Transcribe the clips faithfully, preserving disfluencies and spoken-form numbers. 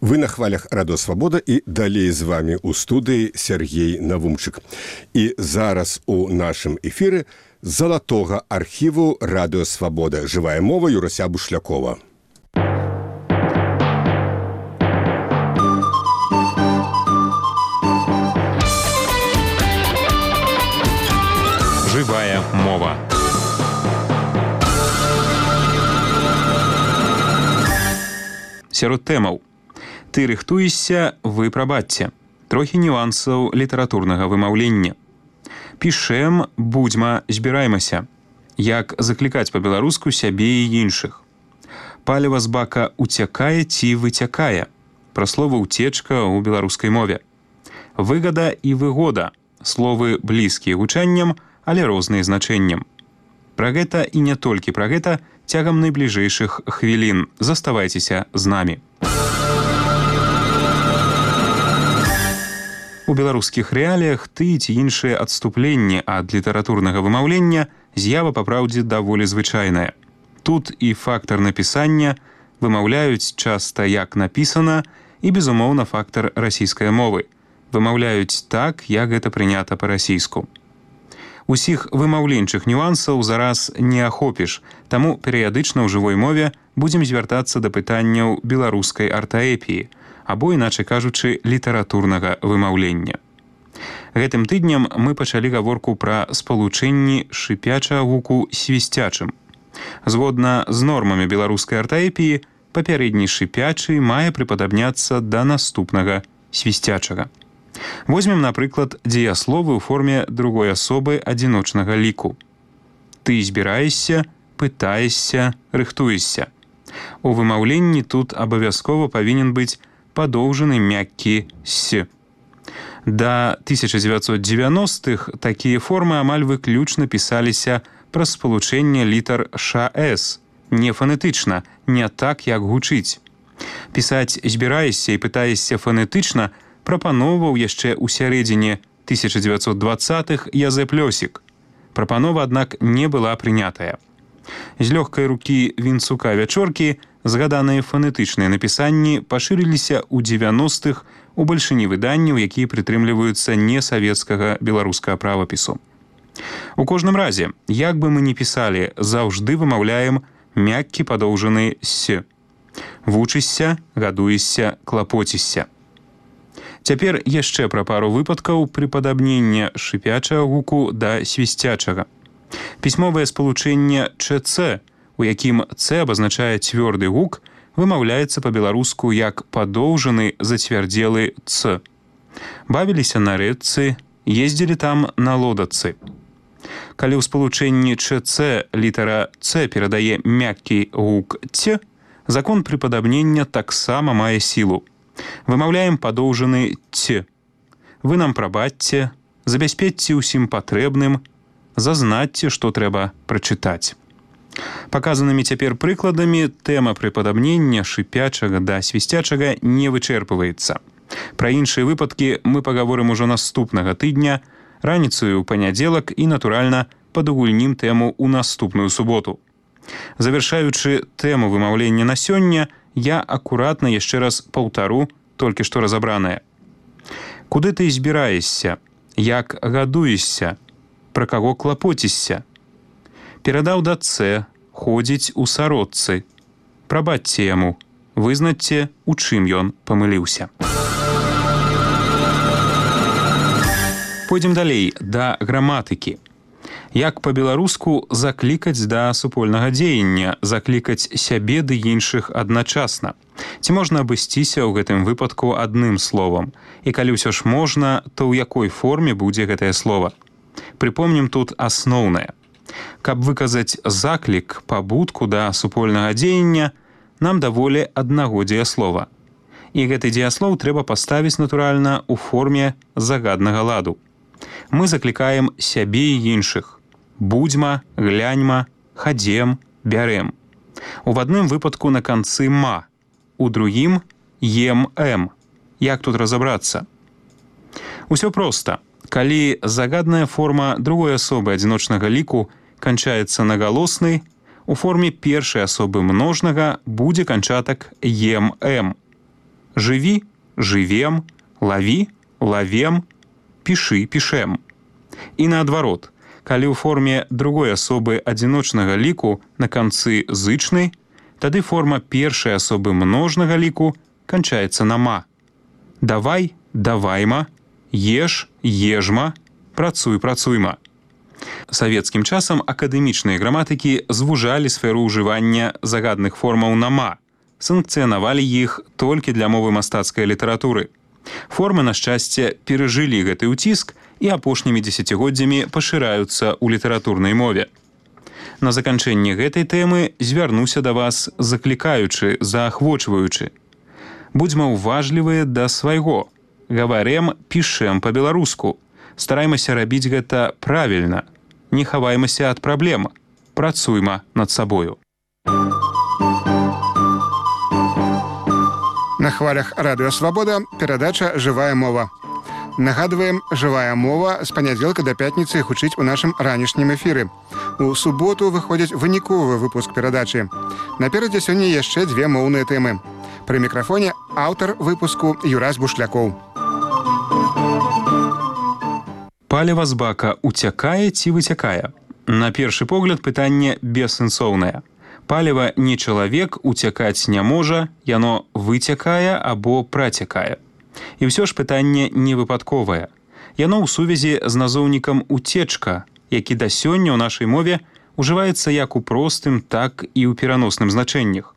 Вы на хвалях Радио Свабода і далей з вами у студыі Сергей Навумчык. І зараз у нашым эфіры з залатога архіву Радио Свабода. Жывая мова Юрася Бушлякова. Жывая мова. Сярод тэмаў. Ты рыхтуешся, вы прабачце. Трохі нюансаў літаратурнага вымаўлення. Пішэм, будзьма, збіраймася. Як заклікаць па-беларуску сябе і іншых. Паліва з бака уцякае ці выцякае. Пра слова «уцечка» ў беларускай мове. Выгада і выгода. Словы блізкія гучаннем, але розныя значэннем. Пра гэта і не толькі пра гэта цягам найбліжэйшых хвілін. Заставайцеся з намі. У беларускіх рэаліях ты ці іншыя адступленні ад літаратурнага вымаўлення з'ява па праўдзе даволі звычайная. Тут і фактар напісання вымаўляюць часта як напісана і, безумоўна, фактар расійскай мовы. Вымаўляюць так, як гэта прынята па-расійску. Усіх вымаўленчых нюансаў зараз не ахопіш, таму перыядычна ў жывой мове будзем звяртацца да пытанняў беларускай артаэпіі, або, іначай кажучы, літаратурнага вымаўлення. Гэтым тыднем мы пачалі гаворку пра спалучэнні шыпячага гуку свісцячым. Згодна з нормамі беларускай артаэпіі, папярэдні шыпячы мае прыпадабняцца да наступнага свісцячага. Возьмем, напрыклад, дзеясловы ў форме другой асобы адзіночнага ліку. Ты збіраешся, пытаешся, рыхтуешся. У вымаўленні тут абавязкова павінен быць падоўжаны мяккі «с». Да тысяча дзевяцьсот дзевяностых такія формы амаль выключна пісаліся праз спалучэнне літар «ш-с», не фанетычна, не так, як гучыць. Пісаць «збіраешся» і «пытаешся» фанетычна прапановаў яшчэ ў сярэдзіне тысяча дзевяцьсот дваццатых Язэп Лёсік. Прапанова, аднак, не была прынятая. З лёгкай рукі Вінцука Вячоркі згаданыя фанетычныя напісанні пашырыліся ў дзевяностых у бальшыні выданняў, якія прытрымліваюцца несавецкага беларускага правапісу. У кожным разе, як бы мы ні пісалі, заўжды вымаўляем мяккі падоўжаны «с». Вучышся, гадуешся, клапоцішся. Цяпер яшчэ пра пару выпадкаў прыпадабнення шыпячага гуку да свісцячага. Пісьмовае спалучэнне «чц», у якім «ц» абазначае цвёрды гук, вымаўляецца па-беларуску як падоўжаны зацвярдзелы «ц». Бавіліся на рэчцы, ездзілі там на лодацы. Калі ў спалучэнні «чц» літара «ц» перадае мяккі гук «ць», закон прыпадабнення таксама мае сілу. Вымаўляем падоўжаны «ць». Вы нам прабачце, забяспечце ўсім патрэбным, зазнацце, што трэба прачытаць. Паказанымі цяпер прыкладамі тэма прыпадабнення шыпячага да свісцячага не вычэрпваецца. Пра іншыя выпадкі мы пагаворым ужо наступнага тыдня, раніцаю ў панядзелак і, натуральна, падугульнім тэму ў наступную суботу. Завяршаючы тэму вымаўлення на сёння, я акуратна яшчэ раз паўтару толькі што разабранае. Куды ты збіраешся? Як гадуешся? Пра каго клапоцішся? Перадаў да «ц», ходзіць у сародцы. Прабачце яму, вызнаце, у чым ён памыліўся. Пойдзем далей, да граматыкі. Як па-беларуску заклікаць да супольнага дзеяння, заклікаць сябе ды іншых адначасна. Ці можна абысціся ў гэтым выпадку адным словам? І калі ўсё ж можна, то ў якой форме будзе гэтае слова? Прыпомнім тут асноўнае. Каб выказаць заклік, пабудку да супольнага дзеяння, нам даволі аднаго дзеяслова. І гэты дзеяслоў трэба паставіць, натуральна, у форме загаднага ладу. Мы заклікаем сябе і іншых. Будзьма, гляньма, хадзем, бярэм. У адным выпадку на канцы «ма», у другім «ем-эм». Як тут разабрацца? Усё проста. Калі загадная форма другой асобы адзіночнага ліку канчаецца на галосны, у форме першай асобы множнага будзе канчатак «ем-эм». Жыві, жывем, лаві, лавем, пішы, пішэм. І наадварот, калі ў форме другой асобы адзіночнага ліку на канцы зычны, тады форма першай асобы множнага ліку канчаецца на ма. Давай, давайма, еш, ежма, працуй, працуйма. Савецкім часам акадэмічныя граматыкі звужалі сферу ўжывання загадных формаў на ма, санкцыянавалі іх толькі для мовы мастацкай літаратуры. Формы, на шчасце, перажылі гэты ўціск і апошнімі дзесяцігоддзямі пашыраюцца ў літаратурнай мове. На заканчэнне гэтай тэмы звярнуся да вас, заклікаючы, заахвочваючы. Будзьма ўважлівыя да свайго. Гаварем, пішэм па-беларуску. Стараймася рабіць гэта правільна. Не хаваймася ад праблем. Працуйма над сабою. На хвалях радыё «Свабода» перадача «Жывая мова». Нагадваем, «Жывая мова» з панядзелка да пятніцы гучыць у нашым ранішнім эфіры. У суботу выходзіць выніковы выпуск перадачы. Наперадзе сёння яшчэ дзве моўныя тэмы. Пры мікрафоне аўтар выпуску Юрась Бушлякоў. Паліва з бака уцякае ці выцякае? На першы погляд пытанне бессэнсоўнае. Паліва не чалавек уцякаць не можа, яно выцякае або працякае. І ўсё ж пытанне не выпадковае. Яно ў сувязі з назоўнікам «уцечка», які да сёння ў нашай мове ўжываецца як у простым, так і ў пераносным значэннях.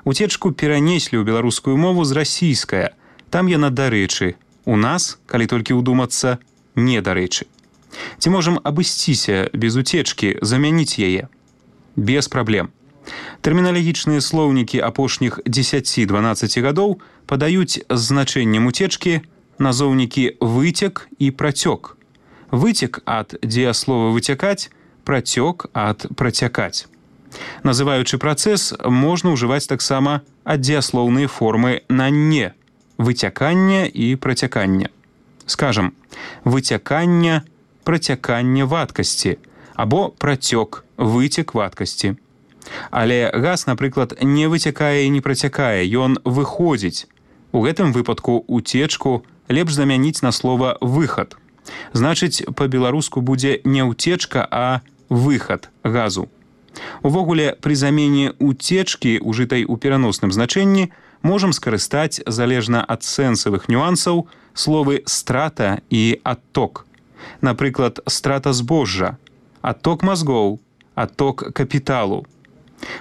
Уцечку перанеслі ў беларускую мову з расійская. Там яна дарэчы. У нас, калі толькі ўдумацца, не дарэчы. Ці можам абысціся без уцечкі, замяніць яе? Без праблем. Тэрміналагічныя слоўнікі апошніх дзесяці-дванаццаці гадоў падаюць з значэннем уцечкі назоўнікі «выцек» і «працёк». Выцек ад дзеяслова «выцякаць», працёк ад «працякаць». Называючы працэс, можна ўжываць таксама аддзеяслоўныя формы на «не» – выцякання і працякання. Скажам, выцякання, працякання вадкасці або працёк, выцек вадкасці. Але газ, напрыклад, не выцякае і не працякае, ён выходзіць. У гэтым выпадку уцечку лепш замяніць на слова «выхад». Значыць, па-беларуску будзе не ўцечка, а выхад газу. Увогуле, пры замене уцечкі, ужытай у пераносным значэнні, можам скарыстаць, залежна ад сэнсавых нюансаў, словы «страта» і «адток». Напрыклад, страта збожжа, адток мазгоў, адток капіталу.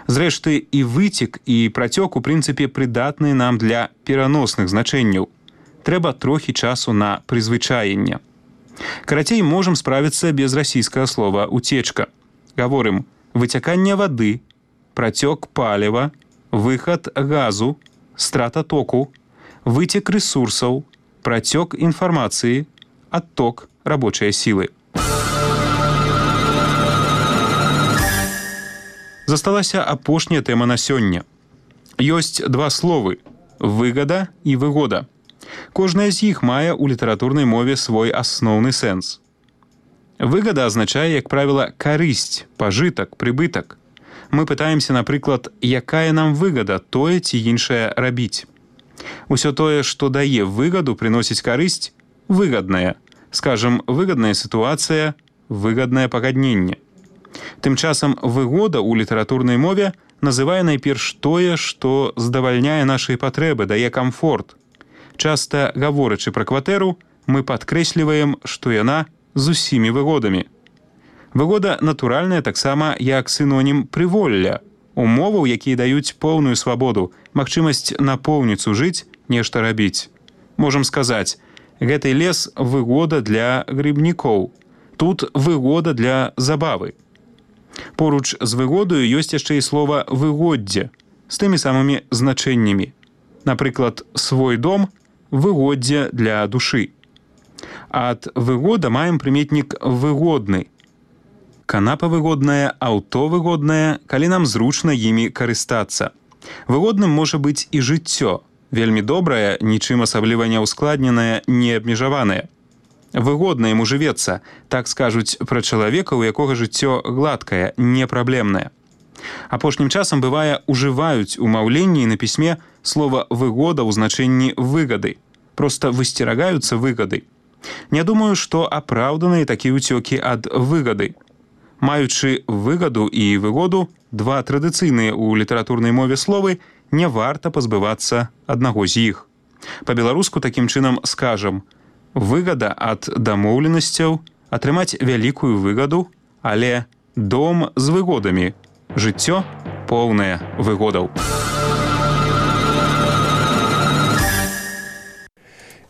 Зрэшты, і выцек, і працёк у прынцыпе прыдатныя нам для пераносных значэнняў. Трэба трохі часу на прызвычаенне. Карацей, можам справіцца без расійскага слова «уцечка». Гаворым выцяканне вады, працёк паліва, выхад газу, страта току, выцек рэсурсаў, працёк інфармацыі, адток рабочай сілы. Засталася апошняя тэма на сёння. Ёсць два словы – выгада і выгода. Кожная з іх мае ў літаратурнай мове свой асноўны сэнс. Выгада азначае, як правіла, карысць, пажытак, прыбытак. Мы пытаемся, напрыклад, якая нам выгада тое ці іншае рабіць. Усё тое, што дае выгаду, прыносіць карысць – выгаднае. Скажам, выгадная сітуацыя, выгаднае пагадненне. Тым часам выгода ў літаратурнай мове называе найперш тое, што здавальняе нашыя патрэбы, дае камфорт. Часта, гаворачы пра кватэру, мы падкрэсліваем, што яна з усімі выгодамі. Выгода натуральная таксама як сінонім прыволля, умоваў, якія даюць поўную свабоду, магчымасць напоўніцу жыць, нешта рабіць. Можам сказаць, гэты лес выгода для грыбнікоў, тут выгода для забавы. Поруч з выгодаю ёсць яшчэ і слова «выгоддзе» з тымі самымі значэннямі. Напрыклад, свой дом – выгоддзе для душы. Ад выгода маем прыметнік «выгодны». Канапа выгодная, аўто выгоднае, калі нам зручна імі карыстацца. Выгодным можа быць і жыццё, вельмі добрае, нічым асабліва не ўскладненае, не абмежаванае. Выгодна яму жывецца, так скажуць пра чалавека, у якога жыццё гладкае, непраблемнае. Апошнім часам, бывае, ужываюць у маўленні і на пісьме слова «выгода» ў значэнні «выгады». Проста высцерагаюцца выгады. Не думаю, што апраўданыя такія ўцёкі ад выгады. Маючы выгаду і выгоду, два традыцыйныя ў літаратурнай мове словы, не варта пазбывацца аднаго з іх. Па-беларуску такім чынам скажам: выгада ад дамоўленасцяў, атрымаць вялікую выгаду, але дом з выгодамі, жыццё поўнае выгодаў.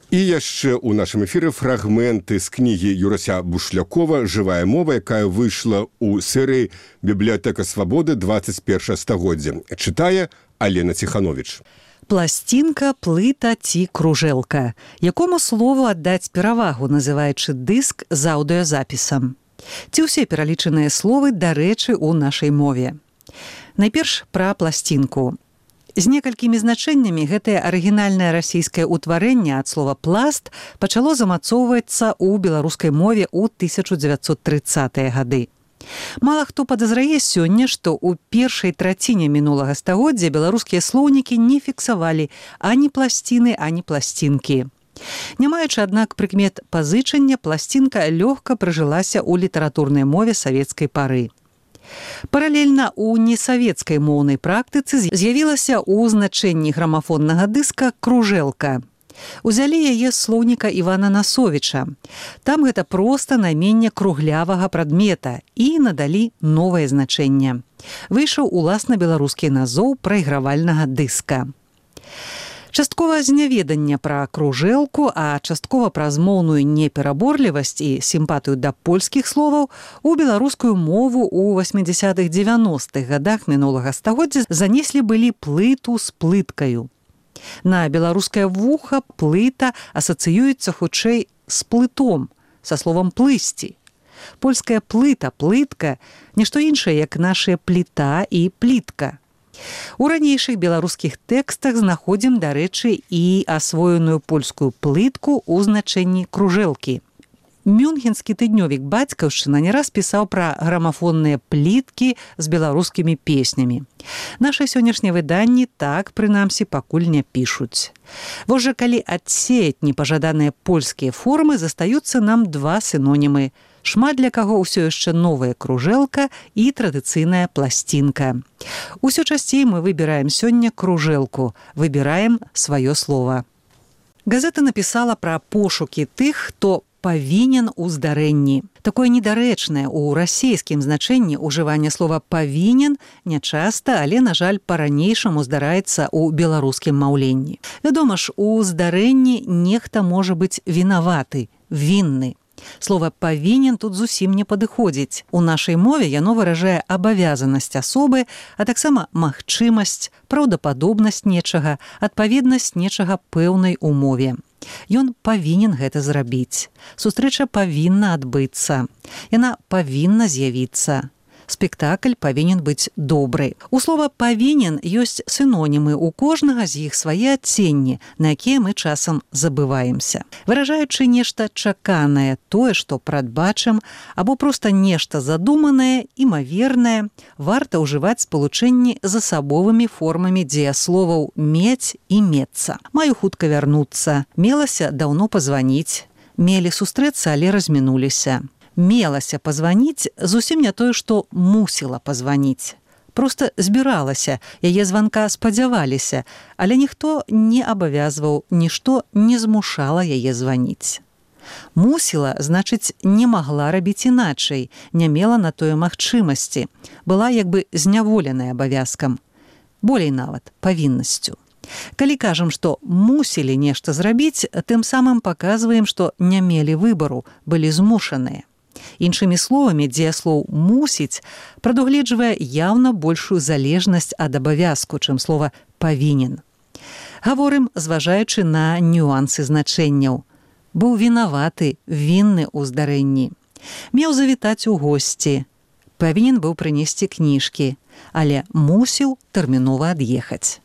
І яшчэ ў нашым эфіры фрагменты з кнігі Юрася Бушлякова «Жывая мова», якая выйшла ў серыі «Бібліятэка свабоды двадцать першае стагоддзя». Чытае Алена Ціхановіч. Пласцінка, плыта ці кружэлка. Якому слову аддаць перавагу, называючы дыск з аўдыёзапісам? Ці ўсе пералічаныя словы дарэчы ў нашай мове? Найперш пра пласцінку. З некалькімі значэннямі гэтае арыгінальнае расійскае ўтварэнне ад слова «пласт» пачало замацоўвацца ў беларускай мове ў тысяча дзевяцьсот трыццатыя гады. Мала хто падазрае сёння, што ў першай траціне мінулага стагоддзя беларускія слоўнікі не фіксавалі ані пласціны, ані пласцінкі. Не маючы, аднак, прыкмет пазычання, пласцінка лёгка прыжылася ў літаратурнай мове савецкай пары. Паралельна ў несавецкай моўнай практыцы з'явілася ў значэнні грамафоннага дыска кружэлка. Узялі яе з слоўніка Івана Насовіча. Там гэта проста найменне круглявага прадмета і надалі новае значэнне. Выйшаў уласна беларускі назоў прайгравальнага дыска. Часткова з няведання пра кружэлку, а часткова праз моўную непераборлівасць і сімпатыю да польскіх словаў у беларускую мову ў васьмідзясятых дзевяностых гадах мінулага стагоддзя занеслі былі плыту з плыткаю. На беларускае вуха плыта асацыюецца хутчэй з плытом, са словам плысці. Польская плыта, плытка – нішто іншае, як нашая пліта і плітка. У ранейшых беларускіх тэкстах знаходзім, дарэчы, і асвоеную польскую плытку ў значэнні кружэлкі. Мюнхенскі тыднёвік «Бацькаўшчына» не раз пісаў пра грамафонныя пліткі з беларускімі песнямі. Нашы сённяшнія выданні так, прынамсі, пакуль не пішуць. Вось жа калі адсеяць непажаданыя польскія формы, застаюцца нам два сінонімы. Шмат для каго ўсё яшчэ новая кружэлка і традыцыйная пласцінка. Усё часцей мы выбіраем сёння кружэлку, выбіраем сваё слова. Газета напісала пра пошукі тых, хто павінен у здарэнні. Такое недарэчнае ў расійскім значэнні ўжыванне слова «павінен» нячаста, але, на жаль, па-ранейшаму здараецца ў беларускім маўленні. Вядома ж, у здарэнні нехта можа быць вінаваты, вінны. Слова «павінен» тут зусім не падыходзіць. У нашай мове яно выражае абавязанасць асобы, а таксама магчымасць, праўдападобнасць нечага, адпаведнасць нечага пэўнай умове. Ён павінен гэта зрабіць. Сустрэча павінна адбыцца. Яна павінна з'явіцца. Спектакль павінен быць добры. У слова «павінен» ёсць сінонімы, у кожнага з іх свае адценні, на якія мы часам забываемся. Выражаючы нешта чаканае, тое, што прадбачым, або проста нешта задуманае, імавернае, варта ўжываць спалучэнні з асабовымі формамі дзеясловаў «мець» і «мецца». Маю хутка вярнуцца, мелася даўно пазваніць, мелі сустрэцца, але размінуліся. Мелася пазваніць зусім не тое, што мусіла пазваніць. Проста збіралася, яе званка спадзяваліся, але ніхто не абавязваў, нішто не змушала яе званіць. Мусіла, значыць, не магла рабіць іначай, не мела на тое магчымасці, была як бы зняволеная абавязкам, болей нават павіннасцю. Калі кажам, што мусілі нешта зрабіць, тым самым паказваем, што не мелі выбару, былі змушаныя. Іншымі словамі, дзеяслоў «мусіць» прадугледжвае яўна большую залежнасць ад абавязку, чым слова «павінен». Гаворым, зважаючы на нюансы значэнняў. Быў вінаваты, вінны ў здарэнні. Меў завітаць у госці. Павінен быў прынесці кніжкі, але мусіў тэрмінова ад'ехаць.